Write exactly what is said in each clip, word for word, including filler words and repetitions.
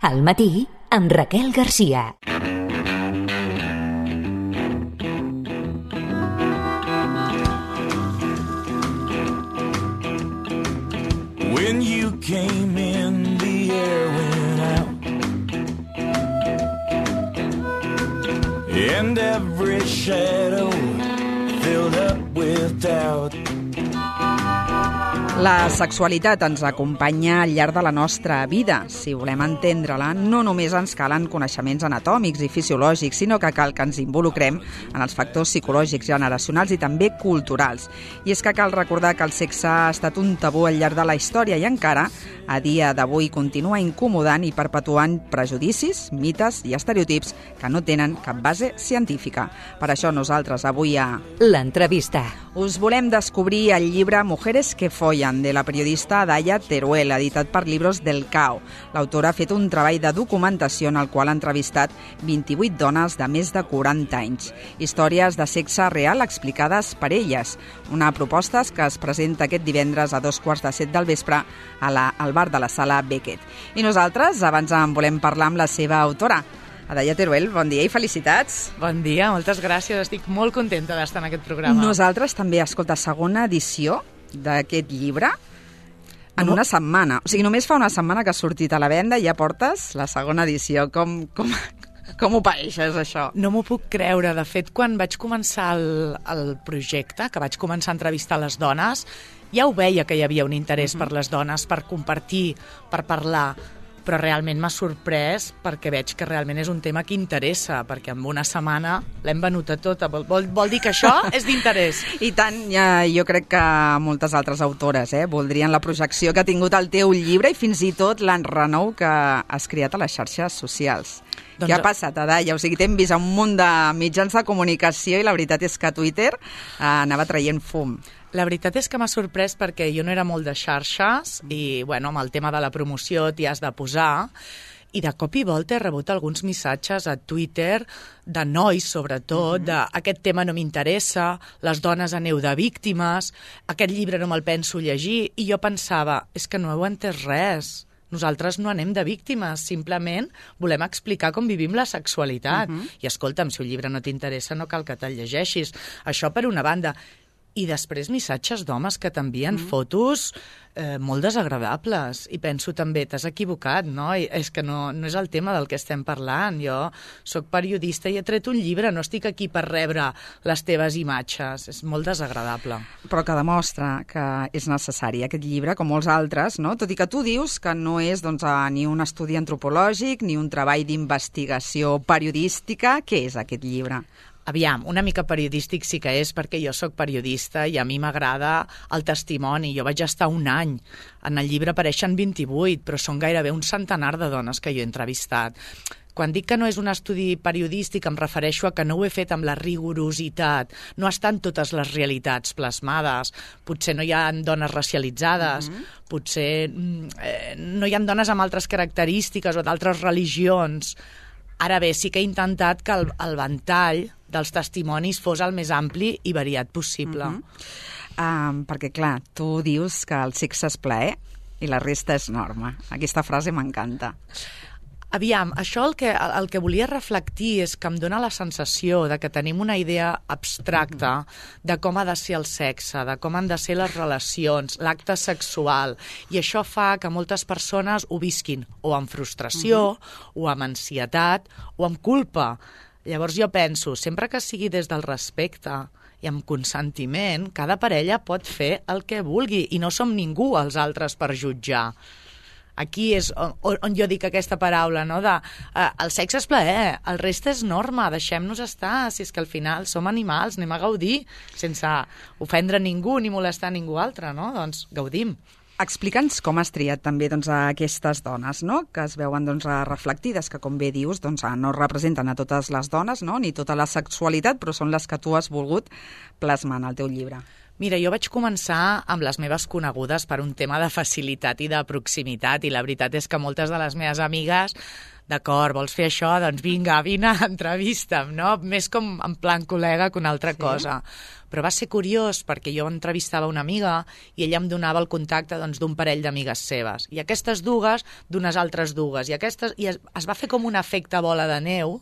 Al matí, amb Raquel Garcia. When you came in, the air went out, and every shadow filled up with doubt. La sexualitat ens acompanya al llarg de la nostra vida. Si volem entendre-la, no només ens calen coneixements anatòmics i fisiològics, sinó que cal que ens involucrem en els factors psicològics, generacionals i també culturals. I és que cal recordar que el sexe ha estat un tabú al llarg de la història i encara, a dia d'avui, continua incomodant i perpetuant prejudicis, mites i estereotips que no tenen cap base científica. Per això nosaltres avui a L'entrevista us volem descobrir el llibre Mujeres que follan, de la periodista Daya Teruel, editat per Libros del Cao. L'autora ha fet un treball de documentació en el qual ha entrevistat vint-i-vuit dones de més de quaranta anys. Històries de sexe real explicades per elles. Una proposta que es presenta aquest divendres a dos quarts de set del vespre a la, al bar de la Sala Beckett. I nosaltres abans en volem parlar amb la seva autora. Daya Teruel, bon dia i felicitats. Bon dia, moltes gràcies. Estic molt contenta d'estar en aquest programa. Nosaltres també, escolta, segona edició d'aquest llibre en una setmana. O sigui, només fa una setmana que ha sortit a la venda i ja portes la segona edició. Com, com, com ho paeixes, això? No m'ho puc creure. De fet, quan vaig començar el, el projecte, que vaig començar a entrevistar les dones, ja ho veia que hi havia un interès uh-huh. per les dones, per compartir, per parlar, però realment m'ha sorprès perquè veig que realment és un tema que interessa, perquè en una setmana l'hem venuta tota. Vol, vol, vol dir que això és d'interès. I tant, ja, jo crec que moltes altres autores eh, voldrien la projecció que ha tingut el teu llibre i fins i tot l'enrenou que has creat a les xarxes socials. Doncs... Què ha passat, Daya? O sigui, t'hem vist a un munt de mitjans de comunicació i la veritat és que Twitter eh, anava traient fum. La veritat és que m'ha sorprès perquè jo no era molt de xarxes i, bueno, amb el tema de la promoció t'hi has de posar i de cop i volta he rebut alguns missatges a Twitter de nois, sobretot, mm-hmm. de aquest tema no m'interessa, les dones aneu de víctimes, aquest llibre no me'l penso llegir, i jo pensava, és que no heu entès res. Nosaltres no anem de víctimes, simplement volem explicar com vivim la sexualitat. Uh-huh. I escolta'm, si un llibre no t'interessa no cal que te'l llegeixis. Això per una banda. I després missatges d'homes que t'envien mm. fotos eh, molt desagradables. I penso també, t'has equivocat, no? I és que no, no és el tema del que estem parlant. Jo sóc periodista i he tret un llibre, no estic aquí per rebre les teves imatges. És molt desagradable. Però que demostra que és necessari aquest llibre, com molts altres, no? Tot i que tu dius que no és doncs, ni un estudi antropològic ni un treball d'investigació periodística. Què és aquest llibre? Aviam, una mica periodístic sí que és, perquè jo sóc periodista i a mi m'agrada el testimoni. Jo vaig estar un any. En el llibre apareixen vint-i-vuit, però són gairebé un centenar de dones que jo he entrevistat. Quan dic que no és un estudi periodístic em refereixo a que no ho he fet amb la rigorositat. No estan totes les realitats plasmades. Potser no hi ha dones racialitzades, mm-hmm. potser eh, no hi ha dones amb altres característiques o d'altres religions. Ara bé, sí que he intentat que el, el ventall dels testimonis fos el més ampli i variat possible. Uh-huh. um, perquè, clar, tu dius que el sexe és plaer i la resta és norma. Aquesta frase m'encanta. Aviam, això el que, el que volia reflectir és que em dóna la sensació de que tenim una idea abstracta de com ha de ser el sexe, de com han de ser les relacions, l'acte sexual, i això fa que moltes persones ho visquin o amb frustració, uh-huh. o amb ansietat, o amb culpa. Llavors jo penso, sempre que sigui des del respecte i amb consentiment, cada parella pot fer el que vulgui i no som ningú els altres per jutjar. Aquí és on, on jo dic aquesta paraula, no? De, eh, el sexe és plaer, el reste és norma, deixem-nos estar, si és que al final som animals, anem a gaudir, sense ofendre ningú ni molestar ningú altre, no? Doncs gaudim. Explica'ns com has triat també doncs, a aquestes dones, no? Que es veuen doncs, reflectides, que com bé dius doncs, no representen a totes les dones, no? Ni tota la sexualitat, però són les que tu has volgut plasmar en el teu llibre. Mira, jo vaig començar amb les meves conegudes per un tema de facilitat i de proximitat, i la veritat és que moltes de les meves amigues, d'acord, vols fer això? Doncs vinga, vine, entrevista'm, no? Més com en plan col·lega que una altra sí. cosa. Però va ser curiós perquè jo entrevistava una amiga i ella em donava el contacte doncs, d'un parell d'amigues seves. I aquestes dues, d'unes altres dues. I, aquestes, i es, es va fer com un efecte bola de neu,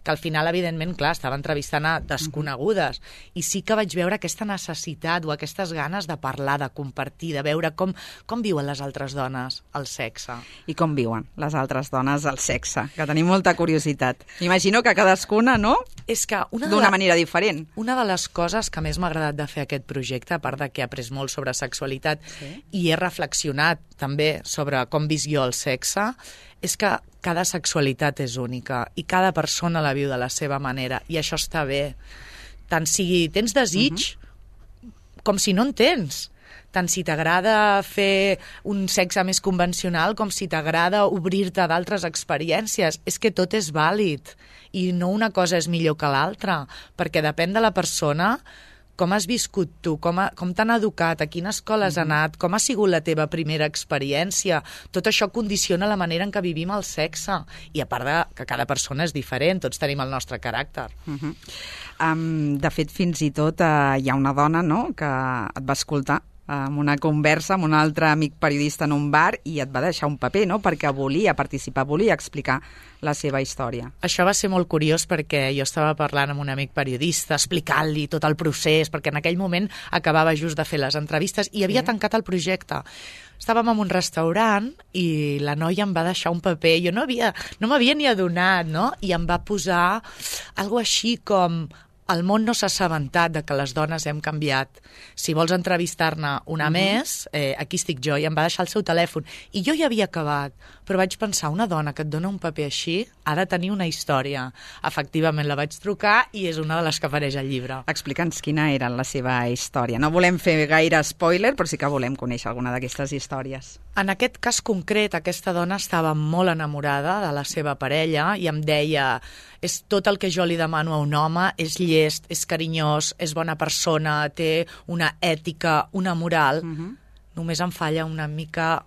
que al final, evidentment, clar, estava entrevistant a desconegudes. I sí que vaig veure aquesta necessitat o aquestes ganes de parlar, de compartir, de veure com, com viuen les altres dones el sexe. I com viuen les altres dones el sexe, que tenim molta curiositat. Imagino que cadascuna, no? És que una de d'una la... manera diferent. Una de les coses que més m'ha agradat de fer aquest projecte, a part de que he après molt sobre sexualitat sí. i he reflexionat també sobre com visc jo el sexe, és que cada sexualitat és única i cada persona la viu de la seva manera i això està bé. Tant si tens desig uh-huh. com si no en tens. Tant si t'agrada fer un sexe més convencional com si t'agrada obrir-te a d'altres experiències. És que tot és vàlid i no una cosa és millor que l'altra, perquè depèn de la persona, com has viscut tu, com, ha, com t'han educat, a quina escola has anat, com ha sigut la teva primera experiència. Tot això condiciona la manera en què vivim el sexe. I a part de que cada persona és diferent, tots tenim el nostre caràcter. Uh-huh. um, de fet, fins i tot uh, hi ha una dona, no?, que et va escoltar amb una conversa amb un altre amic periodista en un bar i et va deixar un paper, no?, perquè volia participar, volia explicar la seva història. Això va ser molt curiós perquè jo estava parlant amb un amic periodista, explicant-li tot el procés, perquè en aquell moment acabava just de fer les entrevistes i havia sí. tancat el projecte. Estàvem en un restaurant i la noia em va deixar un paper. Jo no havia, no m'havia ni adonat, no?, i em va posar alguna així com... El món no s'ha assabentat de que les dones hem canviat. Si vols entrevistar-ne una uh-huh. més, eh, aquí estic jo, i em va deixar el seu telèfon. I jo ja havia acabat, però vaig pensar, una dona que et dona un paper així ha de tenir una història. Efectivament, la vaig trucar i és una de les que apareix al llibre. Explica'ns quina era la seva història. No volem fer gaire spoiler, però sí que volem conèixer alguna d'aquestes històries. En aquest cas concret, aquesta dona estava molt enamorada de la seva parella i em deia, és tot el que jo li demano a un home, és llest, és carinyós, és bona persona, té una ètica, una moral. Uh-huh. Només em falla una mica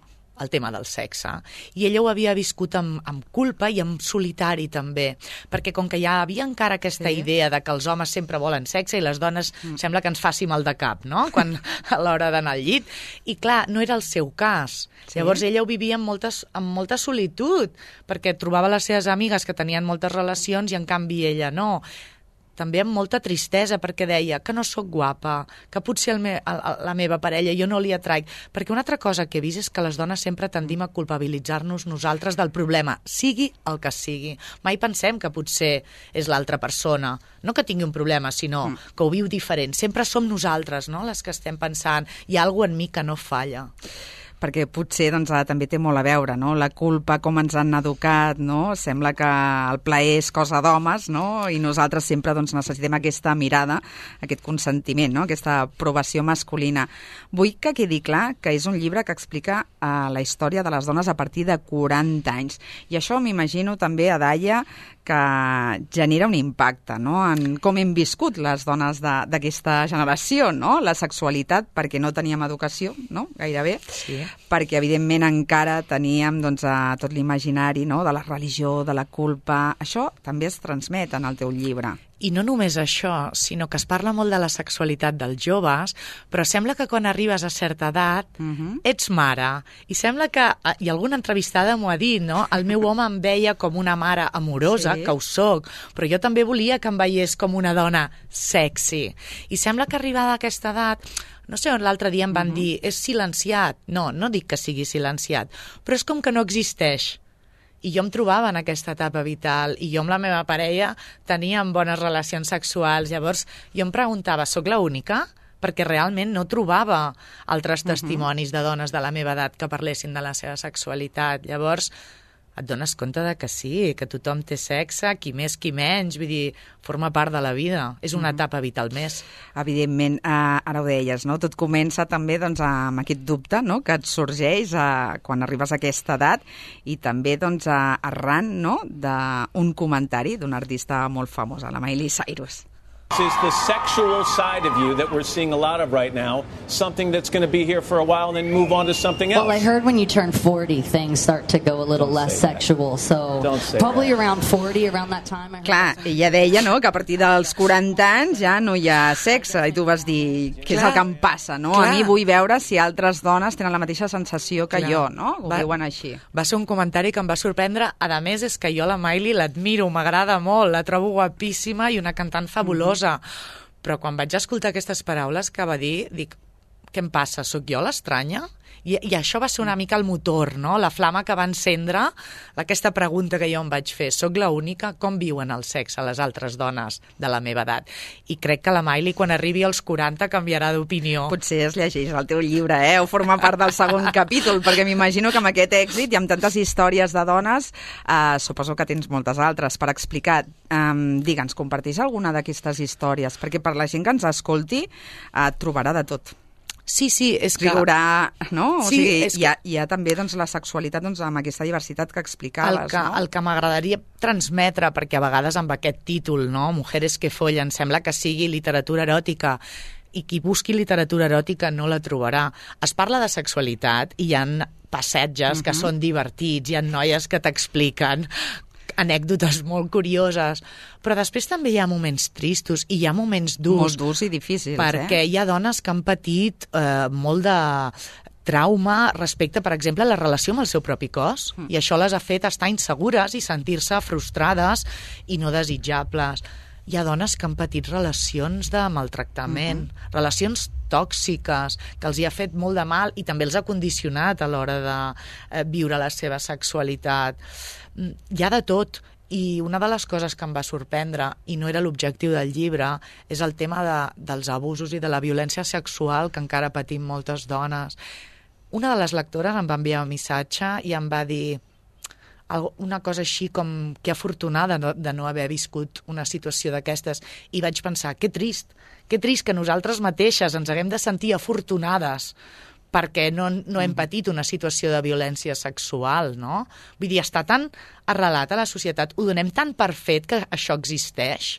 el tema del sexe. I ella ho havia viscut amb, amb culpa i amb solitari també, perquè com que ja havia encara aquesta sí. idea de que els homes sempre volen sexe i les dones mm. sembla que ens faci mal de cap, no?, quan a l'hora d'anar al llit. I clar, no era el seu cas. Sí. Llavors ella ho vivia amb, moltes, amb molta solitud, perquè trobava les seves amigues que tenien moltes relacions i en canvi ella no. També amb molta tristesa, perquè deia que no sóc guapa, que potser el me, el, la meva parella jo no li atraic. Perquè una altra cosa que he vist és que les dones sempre tendim a culpabilitzar-nos nosaltres del problema, sigui el que sigui. Mai pensem que potser és l'altra persona. No que tingui un problema, sinó mm. que ho viu diferent. Sempre som nosaltres, no?, les que estem pensant hi ha alguna cosa en mi que no falla. Perquè potser doncs, també té molt a veure, no?, la culpa, com ens han educat, no? Sembla que el plaer és cosa d'homes, no?, i nosaltres sempre doncs, necessitem aquesta mirada, aquest consentiment, no?, aquesta aprovació masculina. Vull que quedi clar que és un llibre que explica uh, la història de les dones a partir de quaranta anys. I això m'imagino també, Adaia, que genera un impacte, no?, en com hem viscut les dones d'aquesta generació, no?, la sexualitat, perquè no teníem educació, no?, gairebé, sí. perquè evidentment encara teníem doncs, a tot l'imaginari, no?, de la religió, de la culpa. Això també es transmet en el teu llibre. I no només això, sinó que es parla molt de la sexualitat dels joves, però sembla que quan arribes a certa edat uh-huh. ets mare. I sembla que, i alguna entrevistada m'ho ha dit, no?, el meu home em veia com una mare amorosa, sí. que ho soc, però jo també volia que em veiés com una dona sexy. I sembla que arribada a aquesta edat, no sé on l'altre dia em van uh-huh. dir, és silenciat. No, no dic que sigui silenciat, però és com que no existeix. I jo em trobava en aquesta etapa vital i jo amb la meva parella teníem bones relacions sexuals. Llavors jo em preguntava, soc l'única? Perquè realment no trobava altres testimonis de dones de la meva edat que parlessin de la seva sexualitat. Llavors et dones compte de que sí, que tothom té sexe, qui més, qui menys, vull dir, forma part de la vida, és una etapa vital més. Evidentment, eh, ara ho deies, no? Tot comença també doncs, amb aquest dubte, no?, que et sorgeix eh, quan arribes a aquesta edat i també doncs, arran, no?, d'un comentari d'un artista molt famós, la Miley Cyrus. Is the sexual side of you that we're seeing a lot of right now something that's going to be here for a while and then move on to something else? Well, I heard when you turn forty, things start to go a little Don't less sexual, so probably that. Around forty, around that time. I heard Clar, ella deia, no?, que a partir dels quaranta anys ja no hi ha sexe, i tu vas dir què és el que em passa, no? Clar. A mi vull veure si altres dones tenen la mateixa sensació que Clar. jo, no? Ho va, veuen així. Va ser un comentari que em va sorprendre. A més, és que jo la Miley l'admiro, m'agrada molt, la trobo guapíssima i una cantant fabulosa. Mm-hmm. Però quan vaig escoltar aquestes paraules que va dir, dic, què em passa? Soc jo l'estranya? I, I això va ser una mica el motor, no? La flama que va encendre aquesta pregunta que jo em vaig fer. Soc l'única? Com viuen el sexe les altres dones de la meva edat? I crec que la Miley, quan arribi als quaranta, canviarà d'opinió. Potser es llegeix el teu llibre, eh? O forma part del segon capítol, perquè m'imagino que amb aquest èxit i amb tantes històries de dones, eh, suposo que tens moltes altres per explicar. Um, Digue'ns, comparteix alguna d'aquestes històries? Perquè per la gent que ens escolti eh, trobarà de tot. Sí, sí, és que... Riurà, no? O sí, sigui, és hi, ha, hi ha també doncs, la sexualitat doncs, amb aquesta diversitat que explicaves, el que, no? El que m'agradaria transmetre, perquè a vegades amb aquest títol, no?, Mujeres que follen, sembla que sigui literatura eròtica, i qui busqui literatura eròtica no la trobarà. Es parla de sexualitat i hi ha passatges uh-huh. que són divertits, hi ha noies que t'expliquen anècdotes molt curioses, però després també hi ha moments tristos i hi ha moments durs. Molt durs i difícils, perquè eh? hi ha dones que han patit eh, molt de trauma respecte, per exemple, a la relació amb el seu propi cos, mm. i això les ha fet estar insegures i sentir-se frustrades i no desitjables. Hi ha dones que han patit relacions de maltractament, mm-hmm. relacions tòxiques, que els hi ha fet molt de mal i també els ha condicionat a l'hora de eh, viure la seva sexualitat. Hi ha de tot, i una de les coses que em va sorprendre, i no era l'objectiu del llibre, és el tema de, dels abusos i de la violència sexual que encara patim moltes dones. Una de les lectores em va enviar un missatge i em va dir una cosa així com que afortunada de no haver viscut una situació d'aquestes, i vaig pensar, que trist, que trist que nosaltres mateixes ens haguem de sentir afortunades perquè no, no hem patit una situació de violència sexual, no? Vull dir, està tan arrelat a la societat, ho donem tan per fet que això existeix,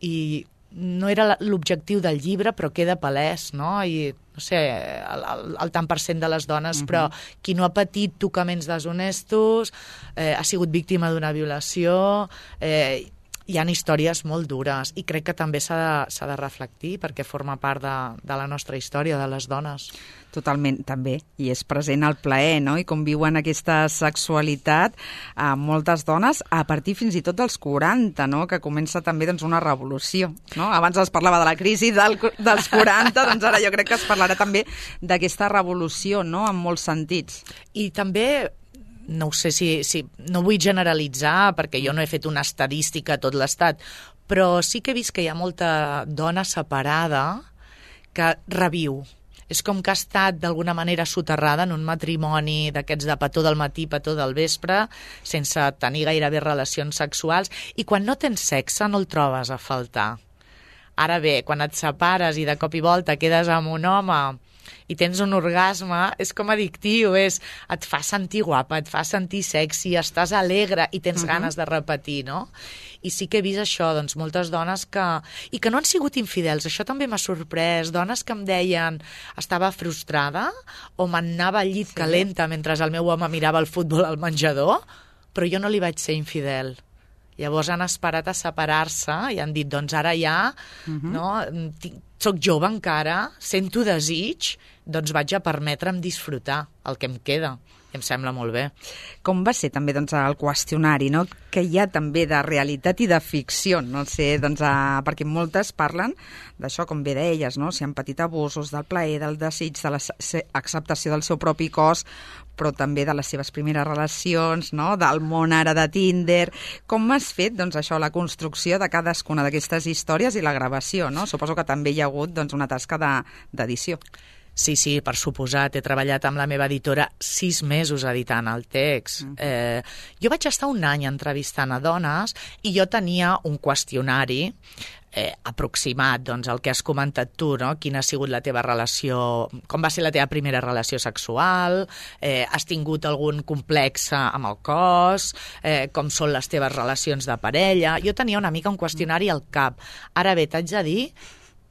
i no era l'objectiu del llibre, però queda palès, no? I, no sé, el, el, el tant per cent de les dones, uh-huh. però qui no ha patit tocaments deshonestos, eh, ha sigut víctima d'una violació, eh, hi ha històries molt dures, i crec que també s'ha de, s'ha de reflectir perquè forma part de, de la nostra història, de les dones. Totalment, també, i és present el plaer, no?, i com viuen aquesta sexualitat a moltes dones a partir fins i tot dels quaranta, no?, que comença també doncs, una revolució, no? Abans es parlava de la crisi del, dels quaranta, doncs ara jo crec que es parlarà també d'aquesta revolució, no?, en molts sentits. I també no ho sé si, si... no vull generalitzar, perquè jo no he fet una estadística a tot l'estat, però sí que he vist que hi ha molta dona separada que reviu. És com que ha estat d'alguna manera soterrada en un matrimoni d'aquests de petó del matí, petó del vespre, sense tenir gairebé relacions sexuals, i quan no tens sexe no el trobes a faltar. Ara bé, quan et separes i de cop i volta quedes amb un home i tens un orgasme, és com addictiu, és, et fa sentir guapa, et fa sentir sexy, estàs alegre i tens uh-huh. ganes de repetir, no? I sí que he vist això, doncs, moltes dones que... i que no han sigut infidels, això també m'ha sorprès, dones que em deien estava frustrada o m'anava al llit sí. calenta mentre el meu home mirava el futbol al menjador, però jo no li vaig ser infidel. Llavors han esperat a separar-se i han dit, doncs ara ja, uh-huh. no, soc jove encara, sento desig, doncs vaig a permetre'm disfrutar el que em queda. Em sembla molt bé. Com va ser també doncs, el qüestionari, no? Que hi ha també de realitat i de ficció, no sé, doncs, a... perquè moltes parlen d'això, com bé deies, no? Si han patit abusos del plaer, del desig, de l'acceptació del seu propi cos, però també de les seves primeres relacions, no? Del món ara de Tinder. Com has fet doncs, això, la construcció de cadascuna d'aquestes històries i la gravació, no? Suposo que també hi ha hagut doncs, una tasca de, d'edició. Sí, sí, per suposat. He treballat amb la meva editora sis mesos editant el text. Mm. Eh, jo vaig estar un any entrevistant a dones i jo tenia un qüestionari eh, aproximat, doncs, el que has comentat tu, no? Quina ha sigut la teva relació, com va ser la teva primera relació sexual, eh, has tingut algun complex amb el cos, eh, com són les teves relacions de parella. Jo tenia una mica un qüestionari al cap. Ara bé, t'haig de dir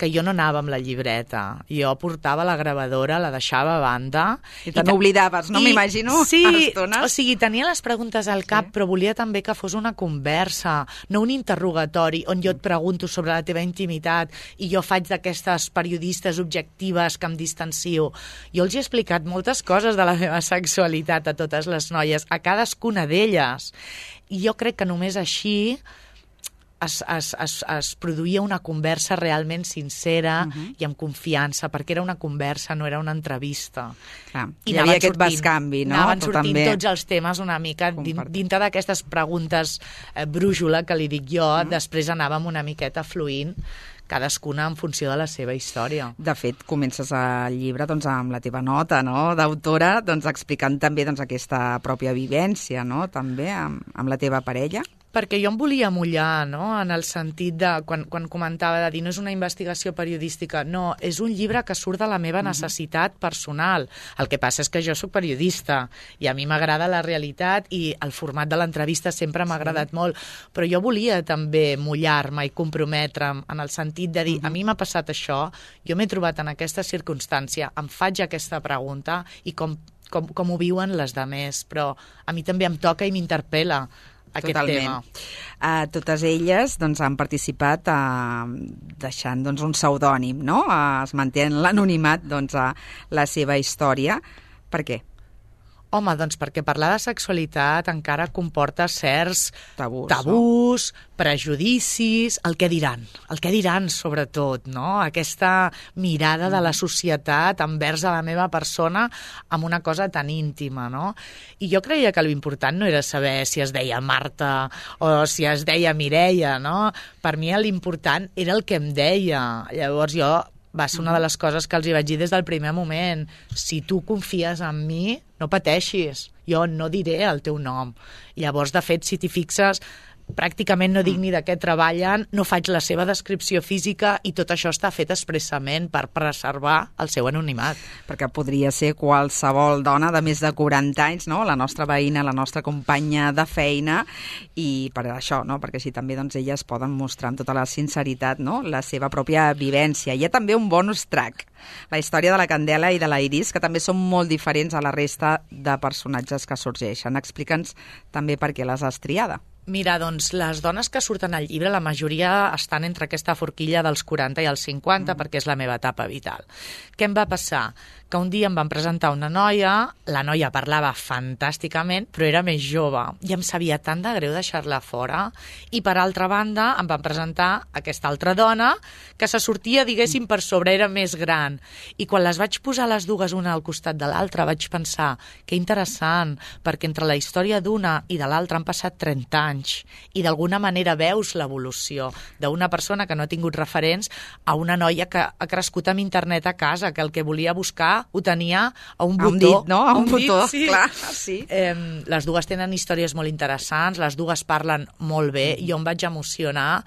que jo no anava amb la llibreta. Jo portava la gravadora, la deixava a banda. I te n'oblidaves, no? M'imagino. Sí, o sigui, tenia les preguntes al cap, sí. Però volia també que fos una conversa, no un interrogatori on jo et pregunto sobre la teva intimitat i jo faig d'aquestes periodistes objectives que em distancio. Jo els he explicat moltes coses de la meva sexualitat a totes les noies, a cadascuna d'elles. I jo crec que només així Es, es, es, es produïa una conversa realment sincera uh-huh. i amb confiança, perquè era una conversa, no era una entrevista. Clar, I hi havia aquest bescanvi, no? Anaven sortint també tots els temes una mica Compart. dintre d'aquestes preguntes eh, brújula, que li dic jo, uh-huh. després anàvem una miqueta fluint, cadascuna en funció de la seva història. De fet, comences el llibre doncs, amb la teva nota, no?, d'autora, doncs, explicant també doncs, aquesta pròpia vivència, no?, també amb, amb la teva parella. Perquè jo em volia mullar, no?, en el sentit de, quan, quan comentava de dir, no és una investigació periodística, no, és un llibre que surt de la meva necessitat personal. El que passa és que jo sóc periodista i a mi m'agrada la realitat i el format de l'entrevista sempre m'ha agradat molt, però jo volia també mullar-me i comprometre'm en el sentit de dir, a mi m'ha passat això, jo m'he trobat en aquesta circumstància, em faig aquesta pregunta i com, com, com ho viuen les demés, però a mi també em toca i m'interpel·la aquest Totalment. tema. Uh, totes elles doncs, han participat uh, deixant doncs, un pseudònim, no? Uh, es manté en l'anonimat doncs, uh, la seva història. Per què? Home, doncs perquè parlar de sexualitat encara comporta certs tabús, tabús no? prejudicis, el que diran, el que diran sobretot, no? Aquesta mirada de la societat envers a la meva persona amb una cosa tan íntima, no? I jo creia que l'important no era saber si es deia Marta o si es deia Mireia, no? Per mi l'important era el que em deia. Llavors jo va ser una de les coses que els hi vaig dir des del primer moment. Si tu confies en mi, no pateixis. Jo no diré el teu nom. I llavors, de fet, si t'hi fixes, pràcticament no dic ni de què treballen, no faig la seva descripció física i tot això està fet expressament per preservar el seu anonimat. Perquè podria ser qualsevol dona de més de quaranta anys, no? La nostra veïna, la nostra companya de feina, i per això, no? Perquè així també doncs, elles poden mostrar amb tota la sinceritat, no?, la seva pròpia vivència. Hi ha també un bonus track, la història de la Candela i de la Iris, que també són molt diferents a la resta de personatges que sorgeixen. Explica'ns també per què les has triada. Mira, doncs, les dones que surten al llibre, la majoria estan entre aquesta forquilla dels quaranta i els cinquanta, mm. perquè és la meva etapa vital. Què em va passar? Que un dia em van presentar una noia, la noia parlava fantàsticament, però era més jove, i em sabia tant de greu deixar-la fora, i per altra banda em van presentar aquesta altra dona, que se sortia, diguéssim, per sobre, era més gran. I quan les vaig posar les dues una al costat de l'altra, vaig pensar, que interessant, perquè entre la història d'una i de l'altra han passat trenta anys, i d'alguna manera veus l'evolució d'una persona que no ha tingut referents a una noia que ha crescut amb internet a casa, que el que volia buscar ho tenia a un botó. A un dit, no? A un, un botó, dit, sí. Clar, sí. Eh, les dues tenen històries molt interessants, les dues parlen molt bé, jo em vaig emocionar.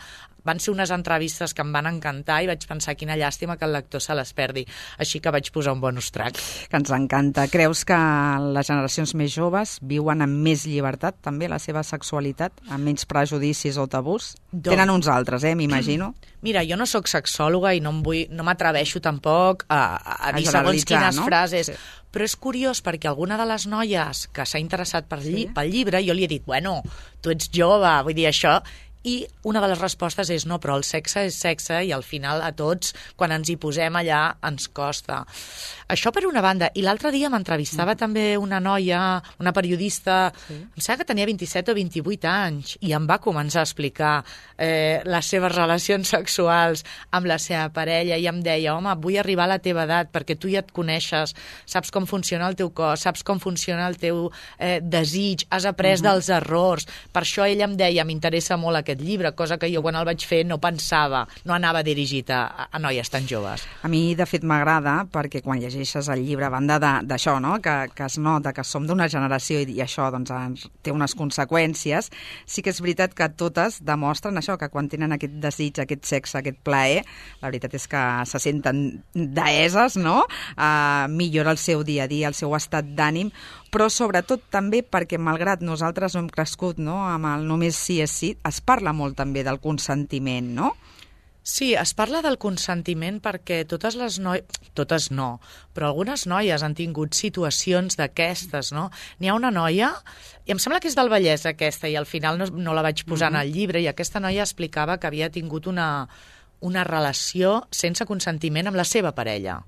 Van ser unes entrevistes que em van encantar i vaig pensar quina llàstima que el lector se les perdi. Així que vaig posar un bonus track. Que ens encanta. Creus que les generacions més joves viuen amb més llibertat també la seva sexualitat, amb menys prejudicis o tabús? Doncs... Tenen uns altres, eh, m'imagino. Mira, jo no sóc sexòloga i no, em vull, no m'atreveixo tampoc a, a, a dir segons quines no? frases, sí. Però és curiós perquè alguna de les noies que s'ha interessat per lli- sí. pel llibre, jo li he dit, bueno, tu ets jove, vull dir això... I una de les respostes és no, però el sexe és sexe i al final a tots, quan ens hi posem allà, ens costa. Això per una banda. I l'altre dia m'entrevistava mm. també una noia, una periodista, sí. em sembla que tenia vint-i-set o vint-i-vuit anys, i em va començar a explicar eh, les seves relacions sexuals amb la seva parella i em deia, home, vull arribar a la teva edat perquè tu ja et coneixes, saps com funciona el teu cos, saps com funciona el teu eh, desig, has après mm-hmm. dels errors. Per això ella em deia, m'interessa molt aquest aquest llibre, cosa que jo quan el vaig fer no pensava, no anava dirigit a, a noies tan joves. A mi, de fet, m'agrada perquè quan llegeixes el llibre, a banda d'això, no? que, que es nota que som d'una generació i, i això doncs, té unes conseqüències, sí que és veritat que totes demostren això, que quan tenen aquest desig, aquest sexe, aquest plaer, la veritat és que se senten deeses, no? Uh, millora el seu dia a dia, el seu estat d'ànim, però sobretot també perquè, malgrat nosaltres no hem crescut, no?, amb el només sí és sí, es parla molt també del consentiment, no? Sí, es parla del consentiment perquè totes les noies... Totes no, però algunes noies han tingut situacions d'aquestes, no? N'hi ha una noia, i em sembla que és del Vallès aquesta, i al final no, no la vaig posar mm-hmm. en el llibre, i aquesta noia explicava que havia tingut una, una relació sense consentiment amb la seva parella.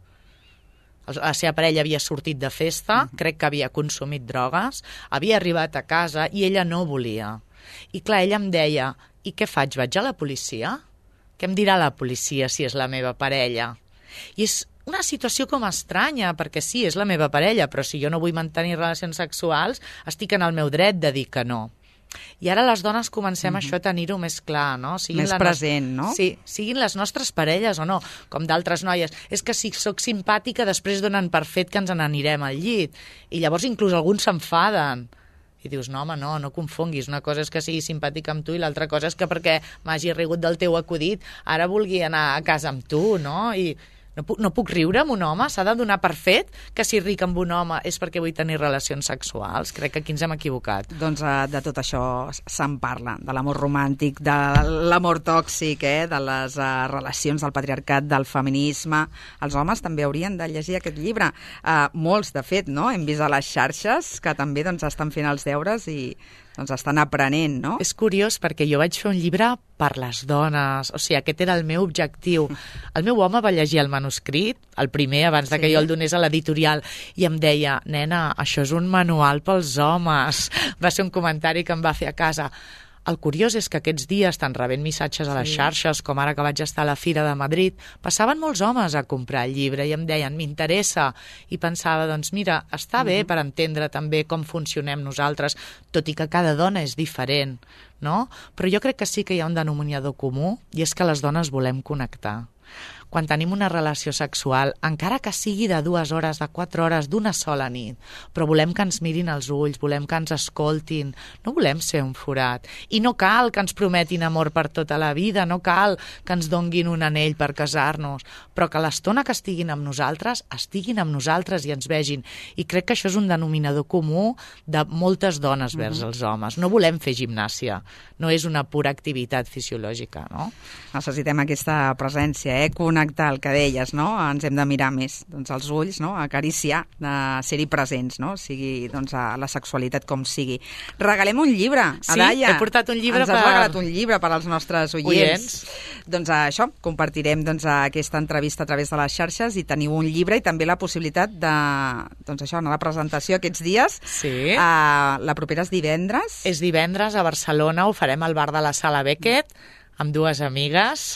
La seva parella havia sortit de festa, uh-huh. crec que havia consumit drogues, havia arribat a casa i ella no volia. I clar, ella em deia, i què faig, vaig a la policia? Què em dirà la policia si és la meva parella? I és una situació com estranya, perquè sí, és la meva parella, però si jo no vull mantenir relacions sexuals, estic en el meu dret de dir que no. I ara les dones comencem mm-hmm. això a tenir-ho més clar, no? Siguin més present, no? Sí, siguin les nostres parelles o no, com d'altres noies. És que si sóc simpàtica, després donen per fet que ens n'anirem al llit. I llavors inclús alguns s'enfaden. I dius, no, home, no, no confonguis. Una cosa és que sigui simpàtica amb tu i l'altra cosa és que perquè m'hagi rigut del teu acudit, ara vulgui anar a casa amb tu, no? I no puc, no puc riure amb un home? S'ha de donar per fet que si ric amb un home és perquè vull tenir relacions sexuals? Crec que aquí ens hem equivocat. Doncs de tot això se'n parla, de l'amor romàntic, de l'amor tòxic, eh? de les uh, relacions del patriarcat, del feminisme. Els homes també haurien de llegir aquest llibre. Uh, molts, de fet, no? Hem vist a les xarxes que també doncs, estan fent els deures i doncs estan aprenent, no? És curiós perquè jo vaig fer un llibre per les dones, o sigui, aquest era el meu objectiu. El meu home va llegir el manuscrit, el primer, abans de que sí. jo el donés a l'editorial, i em deia, nena, això és un manual pels homes. Va ser un comentari que em va fer a casa. El curiós és que aquests dies, estan rebent missatges a les sí. xarxes, com ara que vaig estar a la Fira de Madrid, passaven molts homes a comprar el llibre i em deien, m'interessa. I pensava, doncs mira, està bé mm-hmm. per entendre també com funcionem nosaltres, tot i que cada dona és diferent, no? Però jo crec que sí que hi ha un denominador comú, i és que les dones volem connectar. Quan tenim una relació sexual, encara que sigui de dues hores, de quatre hores, d'una sola nit, però volem que ens mirin als ulls, volem que ens escoltin, no volem ser un forat. I no cal que ens prometin amor per tota la vida, no cal que ens donguin un anell per casar-nos, però que l'estona que estiguin amb nosaltres, estiguin amb nosaltres i ens vegin. I crec que això és un denominador comú de moltes dones vers mm-hmm. els homes. No volem fer gimnàsia, no és una pura activitat fisiològica, no? Necessitem aquesta presència, eh? Connectar, el que deies, no? Ens hem de mirar més, doncs, els ulls, no? Acariciar, de ser-hi presents, no? Sigui, doncs, a la sexualitat com sigui. Regalem un llibre, sí, Adaia. he portat un llibre Ens has per... regalat un llibre per als nostres oients. oients. Doncs això, compartirem doncs, aquesta entrevista a través de les xarxes i teniu un llibre i també la possibilitat de, doncs això, anar a la presentació aquests dies. Sí. Uh, la propera és divendres. És divendres a Barcelona, ho farem al bar de la Sala Beckett, amb dues amigues.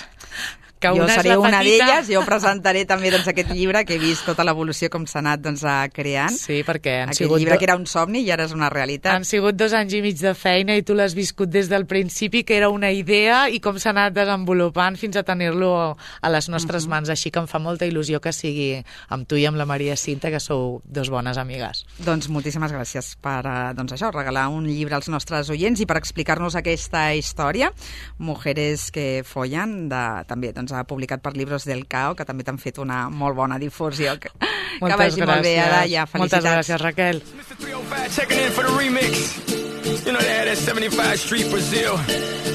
Que jo una seré una petita... d'elles, jo presentaré també doncs, aquest llibre que he vist tota l'evolució com s'ha anat doncs, creant. Sí, perquè han aquest sigut... llibre do... que era un somni i ara és una realitat. Han sigut dos anys i mig de feina i tu l'has viscut des del principi, que era una idea i com s'ha anat desenvolupant fins a tenir-lo a les nostres uh-huh. mans. Així que em fa molta il·lusió que sigui amb tu i amb la Maria Cinta, que sou dos bones amigues. Doncs moltíssimes gràcies per doncs, això, regalar un llibre als nostres oients i per explicar-nos aquesta història. Mujeres que follen, de, també doncs, ha publicat per Libros del Cao, que també t'han fet una molt bona difusió. Que, que vagi gràcies. Molt bé, Adaia. Felicitats. Moltes gràcies, Raquel.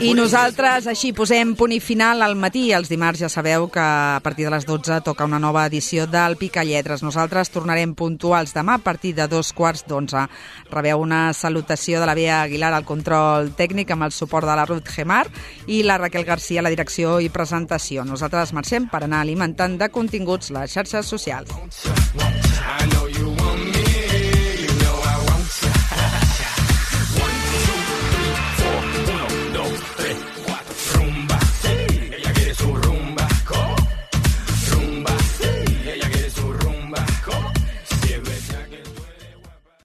I nosaltres així posem punt i final al matí. Els dimarts ja sabeu que a partir de les dotze toca una nova edició del Picalletres. Nosaltres tornarem puntuals demà a partir de dos quarts d'onze. Rebeu una salutació de la Bea Aguilar al control tècnic amb el suport de la Ruth Gemar i la Raquel Garcia a la direcció i presentació. Nosaltres marxem per anar alimentant de continguts les xarxes socials.